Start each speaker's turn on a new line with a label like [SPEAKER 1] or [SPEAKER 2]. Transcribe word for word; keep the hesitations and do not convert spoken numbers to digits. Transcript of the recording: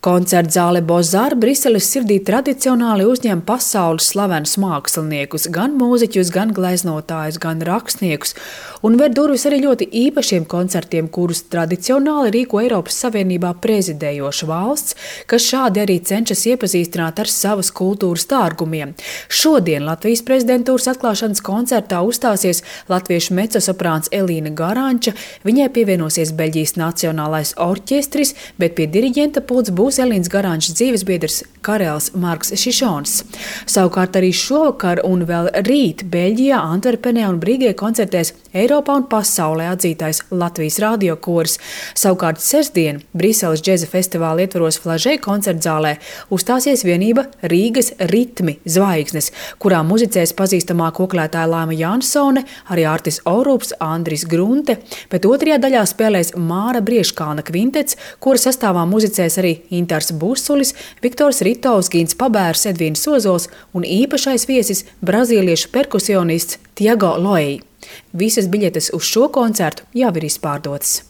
[SPEAKER 1] Koncertzāle Bozar Briseles sirdī tradicionāli uzņem pasaules slavenus māksliniekus, gan mūziķus, gan gleznotājus, gan rakstniekus, un ver durvis arī ļoti īpašiem koncertiem, kurus tradicionāli rīko Eiropas Savienībā prezidējoša valsts, kas šādi arī cenšas iepazīstināt ar savas kultūras dārgumiem. Šodien Latvijas prezidentūras atklāšanas koncertā uzstāsies latviešu mecosoprāns Elīna Garanča, viņai pievienosies Beļģijas Nacionālais orķestris, bet pie diriģenta pults būs Elīnas Garančas dzīvesbiedrs Karels Marks Šišons. Savukārt arī šovakar un vēl rīt Beļģijā, Antverpenē un Brīgē koncertēs Eiropā un pasaulē atzītais Latvijas radiokors. Savukārt sestdien Briseles džeza festivāla ietvaros Flažē koncertzālē uzstāsies vienība Rīgas ritmi zvaigznes, kurā muzicēs pazīstamā koklētāja Laima Jansone, arī Artis Orups, Andris Grunte, bet otrajā daļā spēlēs Māra Brieškalna kvintets, kura sastāvā muzicēs arī Intars Busulis, Viktors Ritovs, Gins Pabērs, Edvīns Ozols un īpašais viesis brazīliešu perkusionists Tiago Loei. Visas biļetes uz šo koncertu jau ir izpārdotas.